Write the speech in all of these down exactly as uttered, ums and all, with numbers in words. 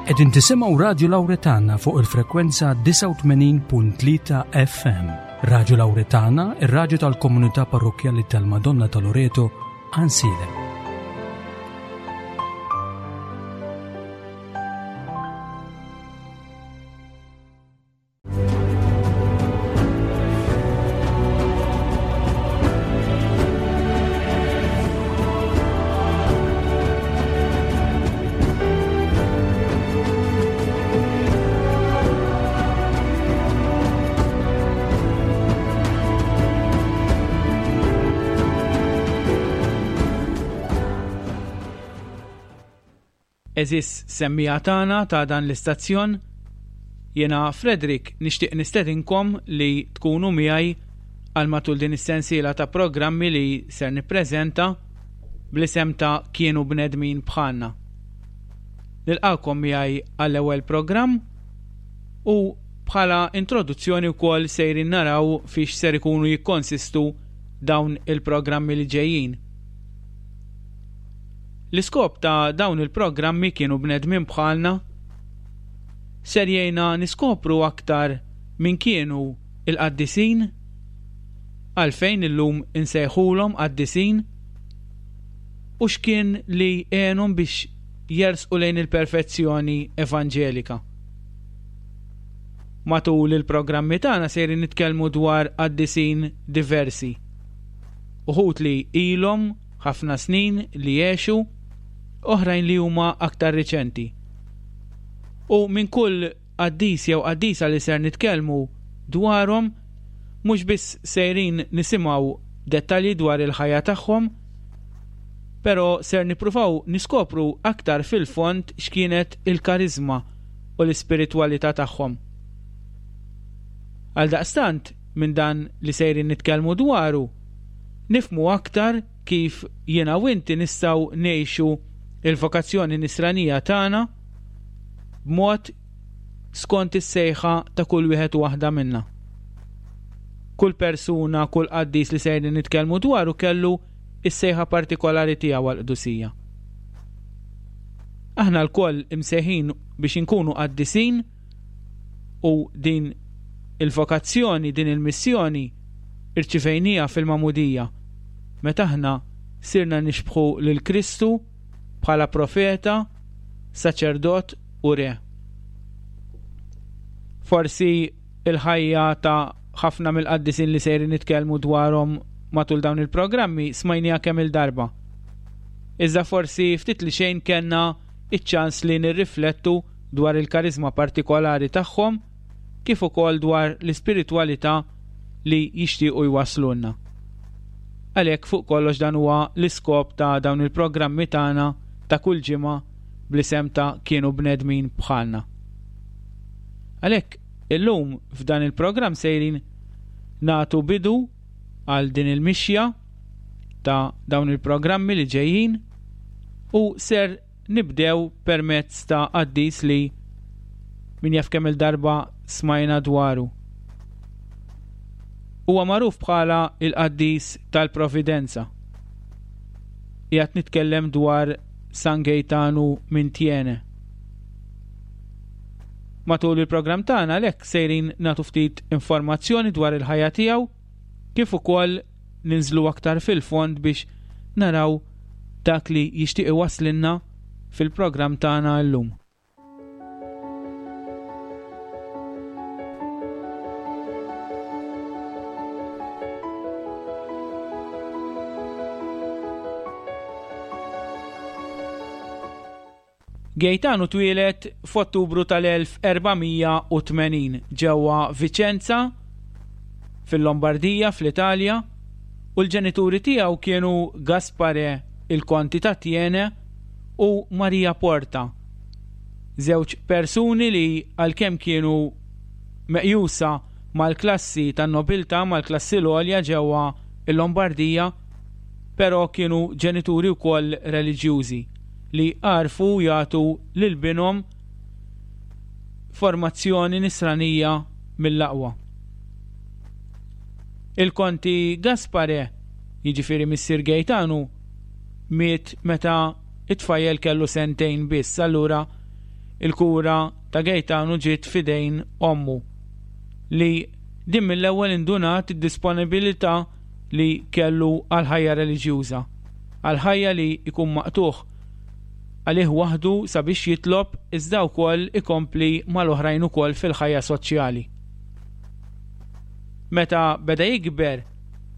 Qegħdin tisimgħu Radju Lawretana fuq il-frekwenza disgħa u tmenin punt tlieta F M. Radju Lawretana, ir-radju tal-komunità parrokkjali tal-Madonna ta' Loreto, Għajnsielem. Eżis semmija tagħna ta' dan l-istazzjon, jiena Frederick nixtieq nistedinkom li tkunu miegħi għal matul din is-sensiela ta' programmi li ser nippreżenta bl-isem ta' Kienu Bnedmin Bħalna. Nilqakom miegħi għall-ewwel programm u bħala introduzzjoni wkoll sejrin naraw fiex ser ikunu jikkonsistu dawn il-programmi li ġejjin. L-iskop ta' dawn il-programmi Kienu Bnedmin Bħalna ser jgħinna niskopru aktar min kienu il-qaddisin, għalfejn illum insejħulhom qaddisin, u x'kien li għenhom biex jersqu lejn il-perfezzjoni evanġelika. Matul il-programmi tagħna sejrin nitkellmu dwar qaddisin diversi, uħud li ilhom ħafna snin li għexu, oħrajn li huma aktar riċenti. U minn kull qaddis jew qaddisa li ser nitkellmu dwarhom, mhux biss sejrin nisimgħu dettalji dwar il-ħajja tagħhom, però ser nippruvaw niskopru aktar fil-fond x'kienet il-karizma u l-ispiritwalità tagħhom. Għaldaqstant, minn dan li sejrin nitkellmu dwaru, nifmu aktar kif jiena u inti nistgħu ngħixu il-vokazzjoni nisranija tagħna b'mod skont is-sejħa ta' kull wieħed u waħda minna. Kull persuna, kull qaddis li sejrin nitkellmu dwaru kellu is-sejħa partikolari tiegħu għall-qdusija. Aħna lkoll imsejħin biex inkunu qaddisin, u din il-vokazzjoni, din il-missjoni irċivejnija fil-magħmudija meta aħna sirna nixbħu lil Kristu bħala profeta, saċerdot u re. Forsi il-ħajja ta' ħafna mill-qaddisin li sejrin nitkellmu dwarhom matul dawn il-programmi smajnija kemm il-darba. Iżda forsi ftit li xejn kellna iċ-ċans li nirriflettu dwar il-karizma partikolari tagħhom kif ukoll dwar l-ispiritwalità li jixtiequ jwaslulna. Għalhekk fuq kollox dan huwa l-iskop ta' dawn il-programmi tagħna ta' kull ġimgħa bl-isem ta' Kienu Bnedmin Bħalna. Għalhekk illum f'dan il-programm sejrin nagħtu bidu għal din il-mixja ta' dawn il-programmi li ġejjin, u ser nibdew permezz ta' qaddis li min jaf kemm il-darba smajna dwaru. Huwa magħruf bħala il-qaddis tal-Providenza. Qiegħed nitkellem dwar San Gaetano minn Thiene. Matul il-programm tagħna għalhekk sejrin nagħtu ftit informazzjoni dwar il-ħajja tiegħu, kif ukoll ninżlu aktar fil-fond biex naraw dak li jixtieq iwasslilna fil-programm tagħna llum. Gaetano twieled f'Ottubru tal-elf erbamija u tmenin ġewwa Vicenza fil-Lombardija fl-Italja, u l-ġenituri tiegħu kienu Gaspare il-Konti ta' Thiene u Maria Porta, żewġ persuni li għalkemm kienu meqjusa mal-klassi tan-nobiltà, mal-klassi l-għolja ġewwa l-Lombardija, però kienu ġenituri wkoll reliġjużi li għarfu jagħtu lil binhom formazzjoni nisranija mill-aqwa. Il-Konti Gaspare, jiġifieri missier Gaetano, miet meta it-tfajjel kellu sentejn biss, allura Il-kura ta' Gaetano ġiet f'idejn ommu li din mill-ewwel indunat id-disponibilità li kellu għal ħajja reliġjuża, għal ħajja li jkun maqtugħ għalih waħdu sabiex jitlob iżda wkoll ikompli mal-oħrajn ukoll fil-ħajja soċjali. Meta beda jikber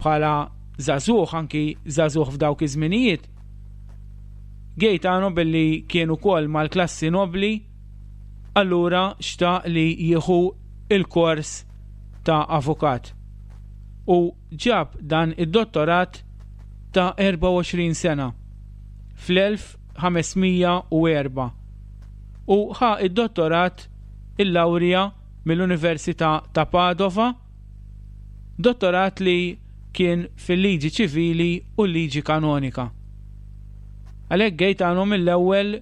bħala żagħżugħ, anki żagħżugħ f'dawk iż-żminijiet, Gaetano billi kien ukoll mal-klassi nobli, allura xtaq li jieħu il-kors ta' avukat u ġab dan id-dottorat ta' erbgħa u għoxrin sena fl-elf ħames mija u erba' u ħa id-dottorat il-lawrja mill-Università ta' Padova, dottorat li kien fil-liġi ċivili u l-liġi kanonika. Għalhekk Gaetano mill-ewwel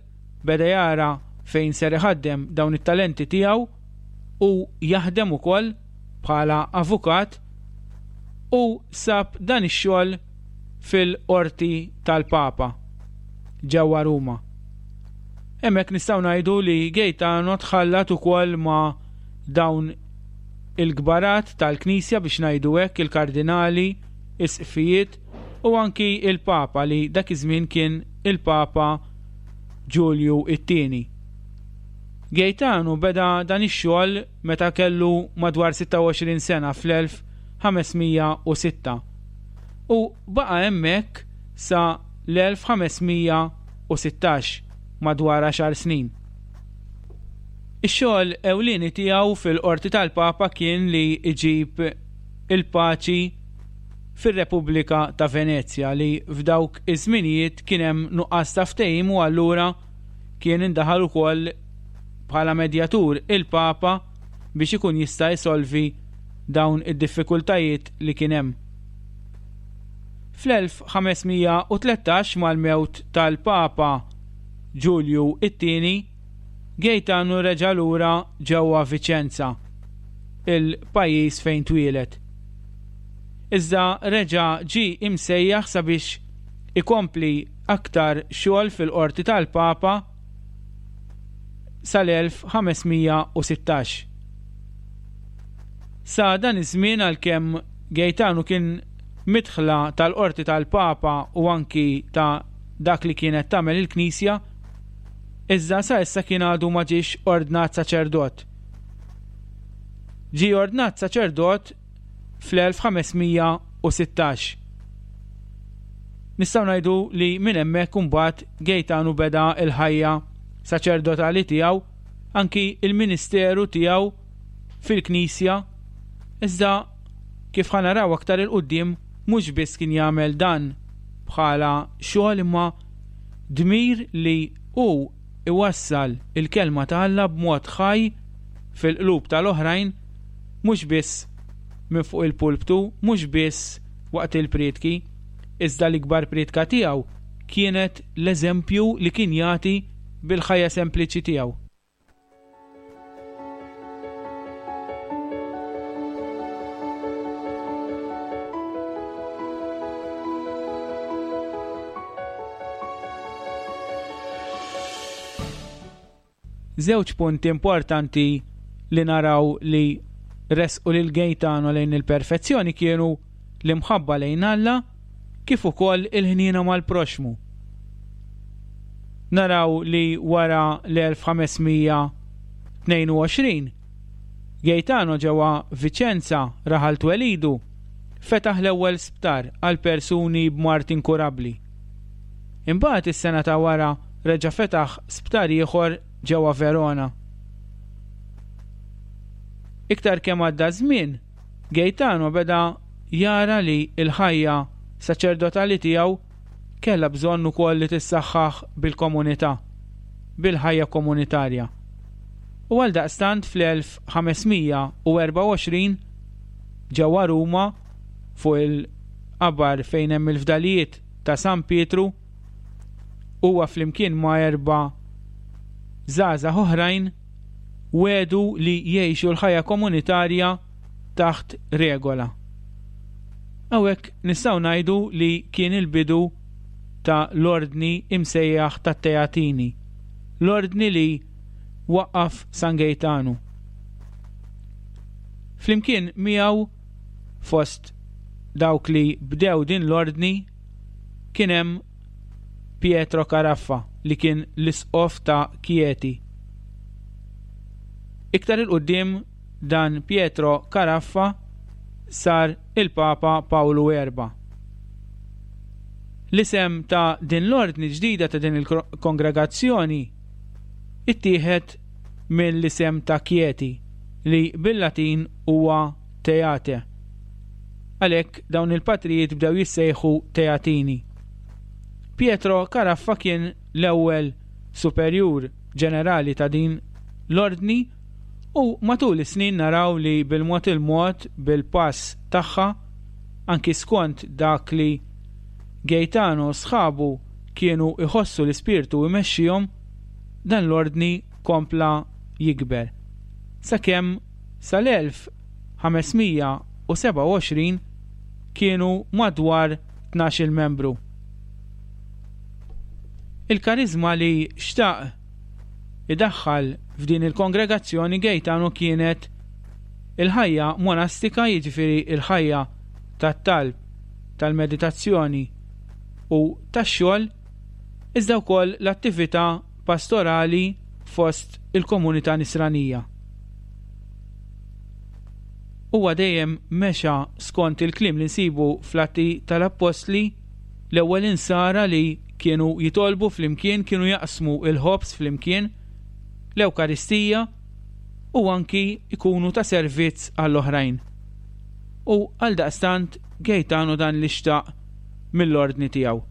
beda jara fejn ser iħaddem dawn it-talenti tiegħu u jaħdem ukoll bħala avukat u sab dan ix-xogħol fil-qorti tal-Papa ġewwa Ruma. Hemmhekk nistgħu ngħidu li Gaetano tħallat ukoll ma' dawn il-kbarat tal-Knisja biex ngħidu hekk, il-kardinali, isqfijiet u anki il-Papa li dak iż-żmien kien il-Papa Ġulju it-tieni. Gaetano beda dan ix-xogħol meta kellu madwar sitta u għoxrin sena fl-elf ħames mija u sitta u baqa' hemmhekk sa l-elf ħames mija u sittax, madwar għaxar snin. Ix-xogħol ewlieni tiegħu fil-qorti tal-Papa kien li jġib il-paċi fir-Repubblika ta' Venezja li f'dawk iż-żminijiet kien hemm nuqqas ta' ftehim u allura kien indaħal ukoll bħala medjatur il-Papa biex ikun jista' jsolvi dawn id-diffikultajiet li kien hemm. Fl-elf ħames mija u tlettax mal-mewt tal-Papa Ġulju it-tieni, Gaetano reġa' lura ġewwa Vicenza, il-pajjiż fejn twieled. Iżda reġa' ġie imsejjaħ sabiex ikompli aktar xogħol fil-qorti tal-Papa sal-elf ħames mija u sittax. Sa dan iż-żmien għalkemm Gaetano kien midħla tal-qorti tal-Papa u anki ta' dak li kienet tagħmel il-Knisja, iżda sa issa kien għadu ma ġiex ordnat saċerdot. Ġie ordnat saċerdot fl-elf ħames mija u sittax. Nistgħu ngħidu li minn hemmhekk imbagħad Gaetano beda l-ħajja saċerdotali tiegħu, anki il-ministeru tiegħu fil-Knisja, iżda kif ħa naraw aktar il-quddiem mhux biss kien jagħmel dan bħala xogħol imma dmir li hu iwassal il-kelma ta' Alla b'mod ħaj fil-qlub tal-oħrajn, mhux biss minn fuq il-pulptu, mhux biss waqt il-prietki, iżda l-ikbar prietka tiegħu kienet l-eżempju li kien jagħti bil-ħajja sempliċi tiegħu. Żewġ punti importanti li naraw li resqu lil Gaetano lejn il-perfezzjoni kienu l-imħabba lejn Alla kif ukoll il-ħniena mal-proxmu. Naraw li wara l-elf ħames mija tnejn u għoxrin Gaetano ġewwa Vicenza raħal twelidu fetaħ l-ewwel sptar għal persuni b'mard inkurabbli. Imbagħad is-sena ta' wara reġa' fetaħ sptar ieħor ġewwa Verona. Iktar kemm għadda żmien, Gaetano beda jara li l-ħajja saċerdotali tiegħu kellha bżonn ukoll li tissaħħaħ bil-komunità, bil-ħajja komunitarja. U għaldaqstant fl-elf ħames mija u erbgħa u għoxrin ġewwa Ruma fuq il-qabar fejn hemm il-fdalijiet ta' San Pietru, huwa flimkien ma' erba' żgħażagħ oħrajn wedu li jgħixu l-ħajja komunitarja taħt regola. Hawnhekk nistgħu ngħidu li kien il-bidu ta' l-ordni imsejjaħ tat-Teatini, l-ordni li waqqaf San Gejtanu. Flimkien miegħu fost dawk li bdew din l-ordni kien hemm Pietro Caraffa li kien l-isqof ta' Chieti. Iktar il-qudiem dan Pietro Caraffa sar il-Papa Pawlu Erba. L-isem ta' din l-ordni ġdida ta' din il-kongregazzjoni ittieħed mill-isem ta' Chieti li bil-Latin huwa Teate. Għalhekk dawn il-patrijiet bdew jissejħu Teatini. Pietro Caraffa kien l-ewwel superjur ġenerali ta' din l-ordni u matul is-snin naraw li bil-mod il-mod bil-pass tagħha anki skont dak li Gaetano sħabu kienu iħossu l-ispirtu imexxihom, dan l-ordni kompla jikber. Sakemm sal-elf ħames mija u sebgħa u għoxrin kienu madwar tnax-il membru. Il-karizma li xtaq idaħħal f'din il-kongregazzjoni Gaetano kienet il-ħajja monastika, jiġifieri il-ħajja tat-talb, tal-meditazzjoni u tax-xogħol, iżda wkoll l-attività pastorali fost il-komunità nisranija. Huwa dejjem mexa skont il-kliem li nsibu fl-Atti tal-Appostli, l-ewwel insara li kienu jitolbu flimkien, kienu jaqsmu il-ħobż flimkien, l-Ewkaristija, u anki ikunu ta' servizz għall-oħrajn. U għaldaqstant Gaetano dan li xtaq mill-ordni tiegħu.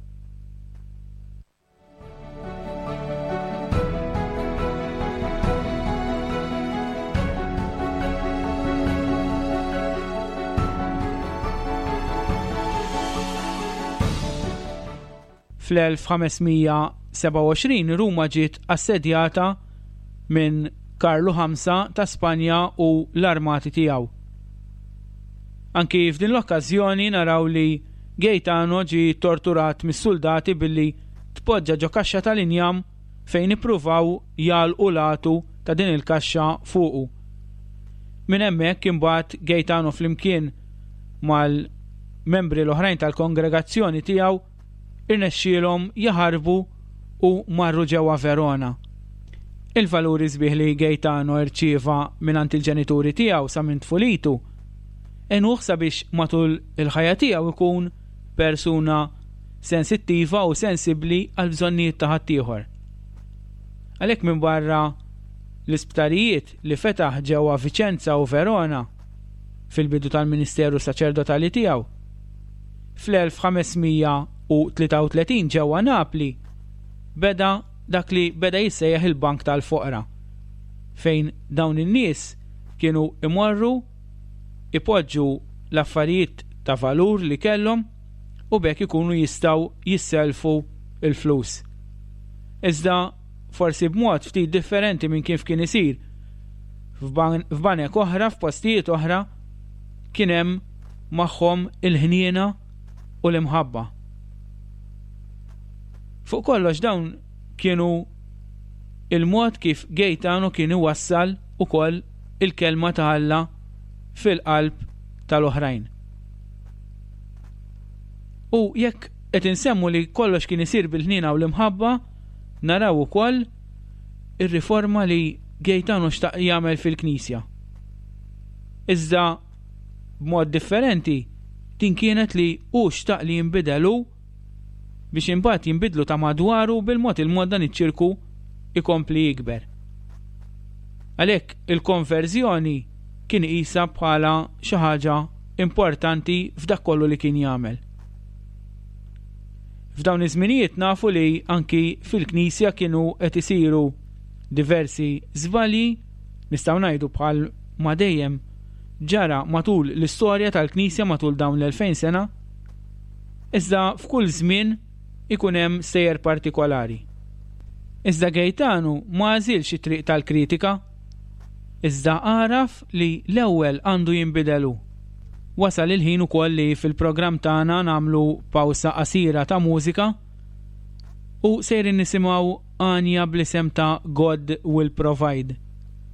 Fl-elf ħames mija sebgħa u għoxrin Ruma ġiet assedjata minn Karlu ħamsa ta' Spanja u l-armati tiegħu. Anki f'din l-okkażjoni naraw li Gaetano ġie torturat mis-soldati billi tpoġġa ġo kaxxa tal-injam fejn ippruvaw jagħlqu l-għatu ta' din il-kaxxa fuqu. Minn hemmhekk imbagħad Gaetano flimkien mal-membri l-oħrajn tal-kongregazzjoni tiegħu irnexxielhom jaħarbu u marru ġewwa Verona. Il-valuri sbieħ li Gaetano rċieva mingħand il-ġenituri tiegħu sa minn tfulitu għenuh sabiex matul il-ħajja tiegħu ikun persuna sensittiva u sensibbli għal bżonnijiet ta' ħaddieħor. Għalhekk minn barra l-isptarijiet li fetaħ ġewwa Vicenza u Verona fil-bidu tal-ministeru saċerdotali tiegħu, fl-elf ħames mija u tlieta u tletin ġewwa Napli beda dak li beda jissejjaħ il-Bank tal-Foqra, fejn dawn in-nies kienu imorru ipoġġu l-affarijiet ta' valur li kellhom u bekk ikunu jistgħu jisselfu il-flus. Iżda forsi b'mod ftit differenti minn kif kien isir f'ban-, f'banek oħra, f'postijiet oħra, kien hemm magħhom il-ħniena u l-imħabba. Fuq kollox dawn kienu il-mod kif Gaetano kien iwassal ukoll il-kelma ta' Alla fil-qalb tal-oħrajn. U jekk qed insemmu li kollox kien isir bil-ħniena u l-imħabba, naraw ukoll ir-riforma li Gaetano xtaq jagħmel fil-Knisja. Iżda b'mod differenti din kienet li hu xtaq li jinbidel hu biex imbagħad jinbidlu ta' madwaru bil-mod il-mod dan iċ-ċirku ikompli jikber. Għalhekk il-konverżjoni kien iqisha bħala xi ħaġa importanti f'dak kollu li kien jagħmel. F'dawn iż-żminijiet nafu li anki fil-Knisja kienu qed isiru diversi żbalji, nistgħu ngħidu bħal ma dejjem ġara matul l-istorja tal-Knisja matul dawn l-elfejn sena, iżda f'kull żmien ikun hemm sejjer partikolari. Iżda Gaetano ma għażilx it-triq tal-kritika, iżda għaraf li l-ewwel għandu jinbidel hu. Wasal il-ħin ukoll li fil-programm tagħna nagħmlu pawsa qasira ta' mużika u sejrin nisimgħu għanja bl-isem ta' God Will Provide.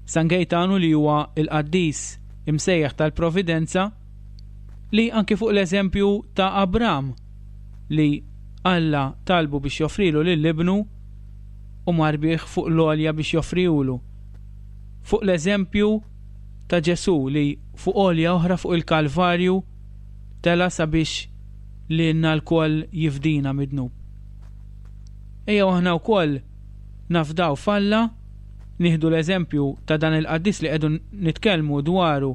San Gejtanu li huwa il-qaddis imsejjaħ tal-Providenza, li anki fuq l-eżempju ta' Abram li Alla talbu biex joffrilu lil ibnu u mar bih fuq l-għolja biex joffrilu. Fuq l-eżempju ta' Ġesù li fuq għolja oħra fuq il-Kalvarju tela sabiex lilna lkoll jifdina mid-dnub. Ejja aħna wkoll nafdaw f'Alla, nieħdu l-eżempju ta' dan il-qaddis li qegħdu nitkellmu dwaru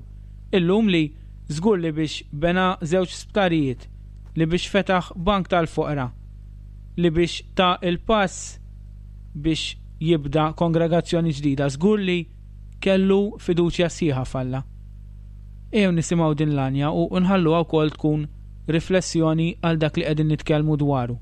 illum, li żgur li biex bena żewġ sptarijiet, li biex fetaħ bank tal-foqra, li biex ta il-pass biex jibda kongregazzjoni ġdida, żgur li kellu fiduċja sħiħa f'Alla. Ejjew nisimgħu din l-għanja u nħalluha wkoll tkun riflessjoni għal dak li qegħdin nitkellmu dwaru.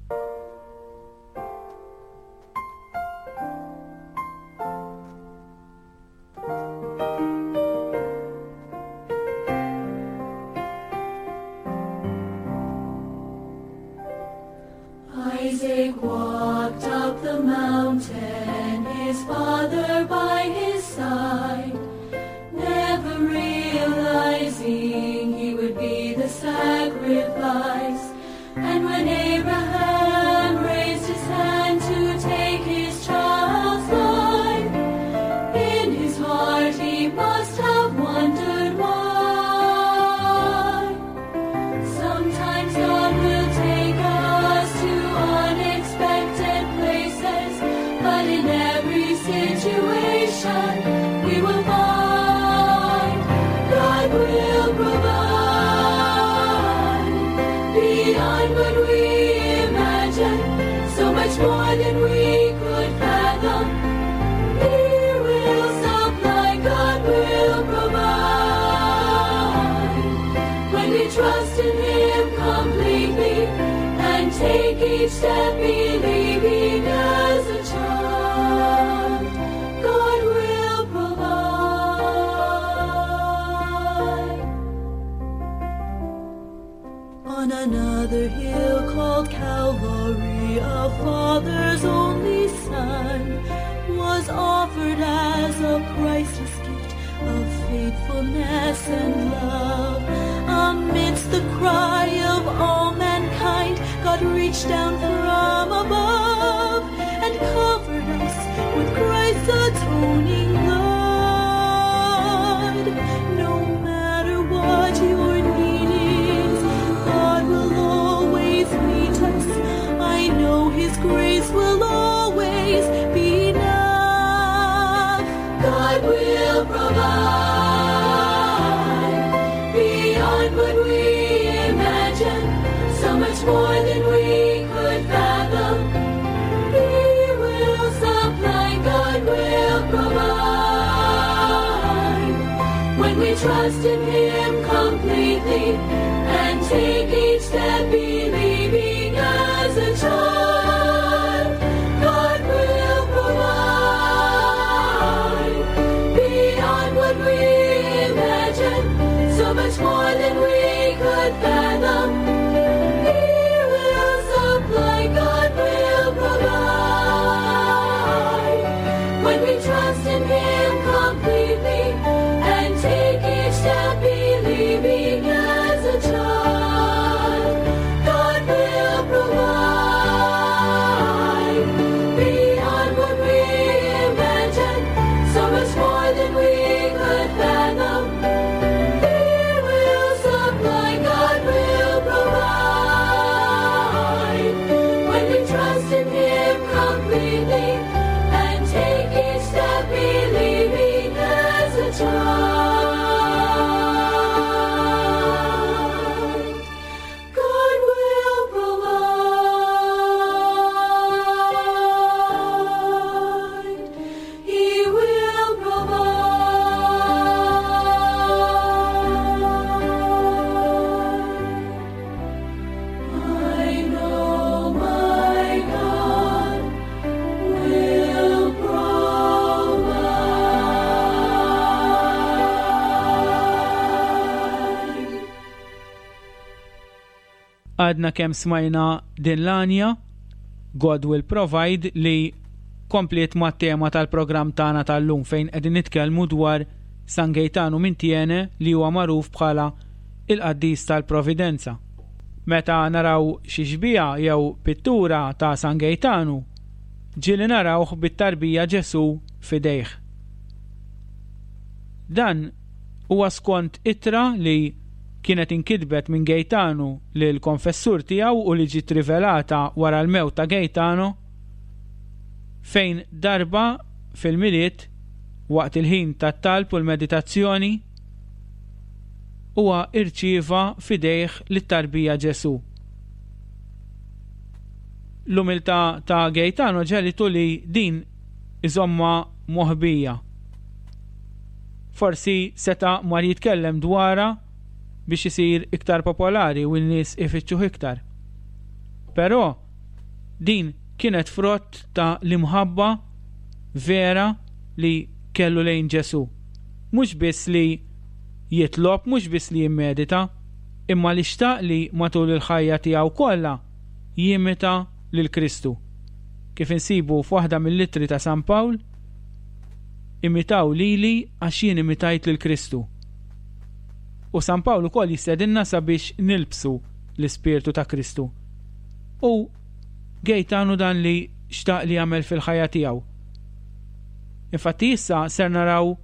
Isaac walked up the mountain, his father by his side, never realizing he would be the sacrifice. And when Abraham raised his hand to take his child's life, in his heart he must have wondered why. Sometimes God will take us to unexpected places, but in every situation we will find God will provide beyond what we imagine, so much more than we could fathom. He will supply, God will provide when we trust in Him completely and take each step believing as a child. God will provide. On another hill called Calvary, a father's only son was offered as a priceless gift of faithfulness and love. Amidst the cry of all mankind, God reached down from above and covered us with Christ's atoning blood. No matter what your need is, God will always meet us. I know His grace will always be enough. God will provide beyond what we imagine, so much more than we could fathom. He will supply, God will provide when we trust in Him completely and take each step believing as a child. God will provide beyond what we imagine, so much more than we could fathom. He will supply, God will provide when we trust in Him completely and take each step believing as a child. God will provide beyond what we imagine, so much more than we could fathom. He will supply, God will provide when we trust in Him completely and take each step believing as a child. God will provide. He will provide. I know my God will provide. Għadna kemm smajna din l-għanja God Will Provide li kompliet mat-tema tal-programm tagħna tal-lum fejn qegħdin nitkellmu dwar San Gejtanu minn Tiene li huwa magħruf bħala il-qaddis tal-Providenza. Meta naraw xi xbieha jew pittura ta' San Gejtanu, ġieli narawh bit-tarbija Ġesù f'idejh. Dan huwa skont ittra li kienet inkitbet minn Gejtanu lil konfessur tiegħu u li ġiet rivelata wara l-mewt ta' Gejtano, fejn darba fil-Milied waqt il-ħin tat-talb u l-meditazzjoni huwa irċieva f'idejh lit-tarbija Ġesù. L-umiltà ta' Gejtano ġelitu li din iżomma moħbija. Forsi seta' mar jitkellem dwarha biex isir iktar popolari u n-nies ifittxuh iktar. Però din kienet frott ta' l-imħabba vera li kellu lejn Ġesù. Mhux biss li jitlob, mhux biss li jimmedita, imma li xtaq li matul il-ħajja tiegħu kollha jimita lil Kristu. Kif insibu f'waħda mill-ittri ta' San Pawl, imitaw lili għax jien imitajt lil Kristu. U San Pawl ukoll jistedinna sabiex nilbsu l-ispirtu ta' Kristu. U Gejtanu dan li xtaq li jagħmel fil-ħajja tiegħu. Infatti issa ser naraw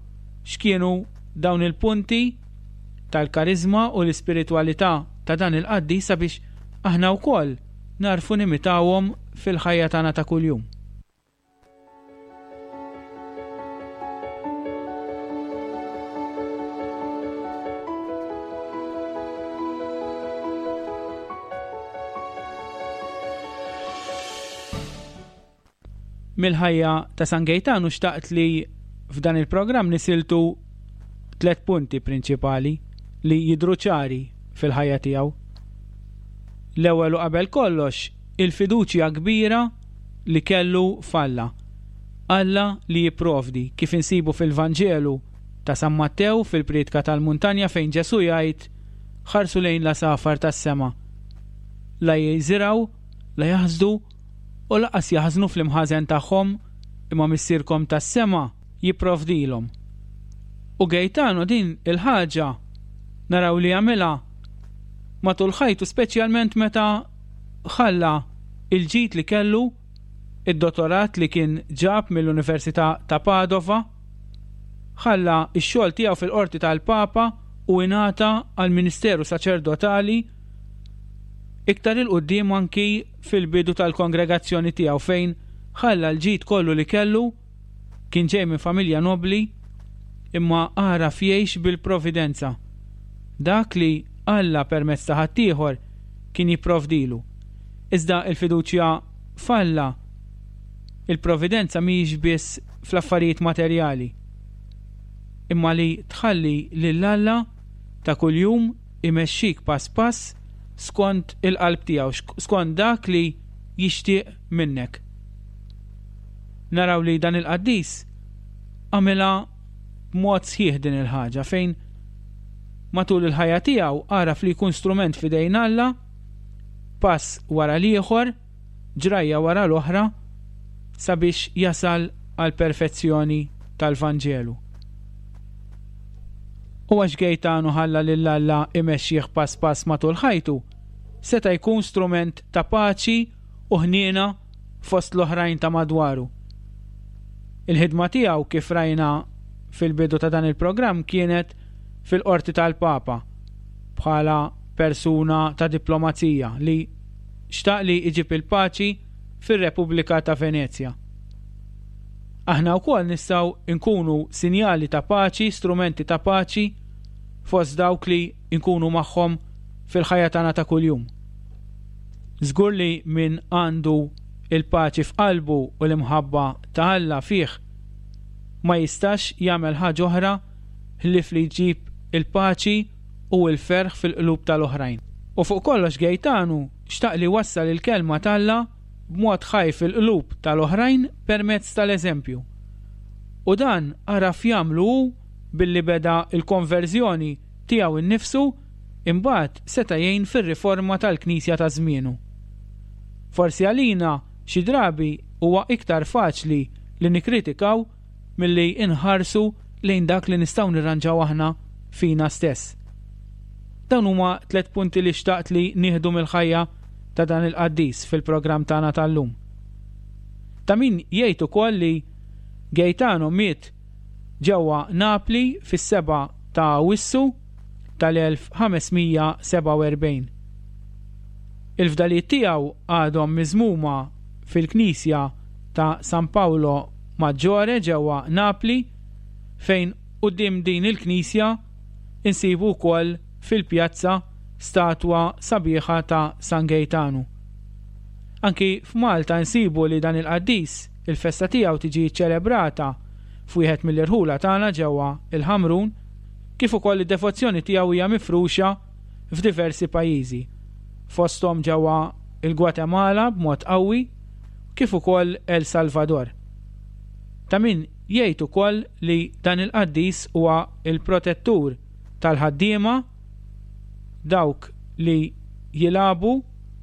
x'kienu dawn il-punti tal-karizma u l-ispiritwalità ta' dan il-qaddis sabiex aħna wkoll narfu nimitawhom fil-ħajja tagħna ta' kuljum. Mill-ħajja ta' San Gejtanu xtaqt li f'dan il-programm nisiltu tliet punti prinċipali li jidhru ċari fil-ħajja tiegħu. L-ewwel u qabel kollox, il-fiduċja kbira li kellu f'Alla. Alla li jipprovdi, kif insibu fil-Vanġelu ta' San Mattew fil-Priedka tal-Muntanja fejn Ġesù jgħid ħarsu lejn l-għasafar tas-sema. La jiżirgħu, la jaħsdu u laqas jaħżnu fl-imħażen tagħhom, imma missierkom tas-sema jipprovdilhom. U Gejtanu din il-ħaġa naraw li għamilha matul ħajtu, speċjalment meta ħalla il-ġid li kellu, id-dottorat li kien ġab mill-Università ta' Padova, ħalla x-xogħol tiegħu fil-qorti tal-Papa u ingħata għall-Ministeru Saċerdotali iktar il-qudiem anki fil-bidu tal-kongregazzjoni tiegħu fejn ħalla l-ġid kollu li kellu, kien ġej minn familja nobli, imma għaraf jgħix bil-providenza. Dak li Alla permezz ta' ħaddieħor kien jipprovdilu. Iżda il-fiduċja f'Alla, il-providenza mhijiex biss fl-affarijiet materjali, imma li tħalli lil Alla ta' kuljum imexxik pass pass skont il-qalb tiegħu, skont dak li jixtieq minnek. Naraw li dan il-qaddis għamilha b'mod sħiħ din il-ħaġa fejn matul il-ħajja tiegħu għaraf li jkun strument f'idejn Alla, pass wara l-ieħor, ġrajja wara l-oħra, sabiex jasal għal perfezzjoni tal-Vanġelu. U għax Gejtanu ħalla lil Alla imexxih pass pass matul ħajtu, seta' jkun strument ta' paċi u ħniena fost l-oħrajn ta' madwaru. Il-ħidma tiegħu kif rajna fil-bidu ta' dan il-programm kienet fil-qorti tal-Papa bħala persuna ta' diplomazija li xtaq li iġib il-paċi fir-Repubblika ta' Venezja. Aħna wkoll nistgħu nkunu sinjali ta' paċi, strumenti ta' paċi fost dawk li nkunu magħhom fil-ħajja tagħna ta' kuljum. Żgur li min għandu il-paċi f'qalbu u l-imħabba ta' Alla fih ma jistax jagħmel ħaġa oħra ħlief li jġib il-paċi u l-ferħ fil-qlub tal-oħrajn. U fuq kollox Gejtanu xtaq li wassal il-kelma t'Alla b'mod ħaj fil-qlub tal-oħrajn permezz tal-eżempju. U dan għaraf jagħmlu hu billi beda il-konverżjoni tiegħu nnifsu, imbagħad seta' jgħin fir-riforma tal-Knisja ta' żmienu. Forsi għalina xi drabi huwa iktar faċli li nikkritikaw milli inħarsu lejn dak li nistgħu nirranġaw aħna fina stess. Dawn huma tliet punti li xtaqt li nieħdu mill-ħajja ta' dan il-qaddis fil-programm tagħna tal-lum. Ta' min jgħid ukoll li Gaetano miet ġewwa Napli fis-sebgħa ta' Awwissu tal-elf ħames mija sebgħa u erbgħin. Il-fdalijiet tiegħu għadhom miżmuma fil-Knisja ta' San Paolo Maggiore ġewwa Napli, fejn quddiem din il-knisja insibu wkoll fil-pjazza statwa sabiħa ta' San Gaetano. Anki f'Malta nsibu li dan il-qaddis, il-festa tiegħu tiġi ċelebrata f'wieħed mill-irħula tagħna ġewwa il-Ħamrun, kif ukoll id-devozzjoni tiegħu hija mifruxa f'diversi pajjiżi, fosthom ġewwa il-Gwatemala b'mod qawwi, kif ukoll El Salvador. Ta' min jgħid ukoll li dan il-qaddis huwa il-protettur tal-ħaddiema, dawk li jilagħbu,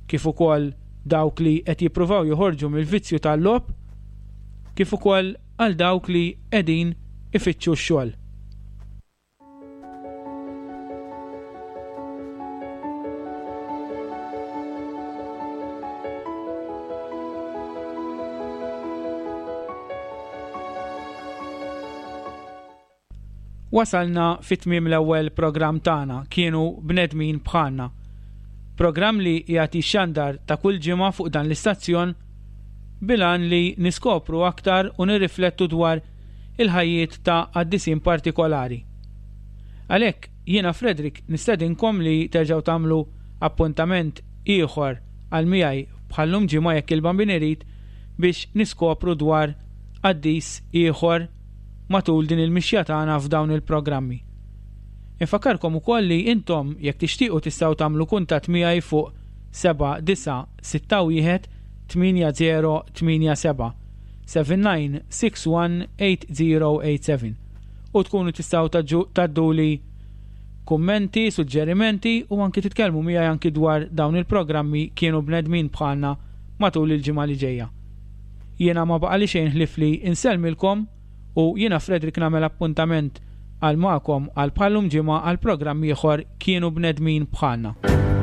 kif ukoll dawk li qed jippruvaw joħorġu mill-vizzju tal-logħob, kif ukoll għal dawk li qegħdin ifittxu x-xogħol. Wasalna fit tmiem l-ewwel programm tagħna, Kienu Bnedmin Bħalna. Programm li jagħti xandar ta' kull ġimgħa fuq dan l-istazzjon bilan li niskopru aktar u nirriflettu dwar il-ħajjiet ta' qaddisin partikolari. Għalhekk jiena Frederick nistedinkom li terġgħu tagħmlu appuntament ieħor għal miegħi bħallum ġimgħa jekk il-Bambin irid biex niskopru dwar qaddis ieħor matul din il-mixja tagħna f'dawn il-programmi. Infakkarkom ukoll li intom jekk tixtiequ tistgħu tagħmlu kuntatt miegħi fuq seba' disa' sitta wieħed tmienja zero tmienja seba', seven nine six one eight zero eight seven u tkunu tistgħu taġġu-, tadduli kummenti, suġġerimenti u anki titkellmu miegħi anki dwar dawn il-programmi Kienu Bnedmin Bħalna matul il-ġimgħa li ġejja. Jiena ma baqali xejn ħlief li insellmilkom u jiena Frederick nagħmel appuntament għal magħkom għal bħallum ġimgħa għal programm ieħor Kienu Bnedmin Bħalna.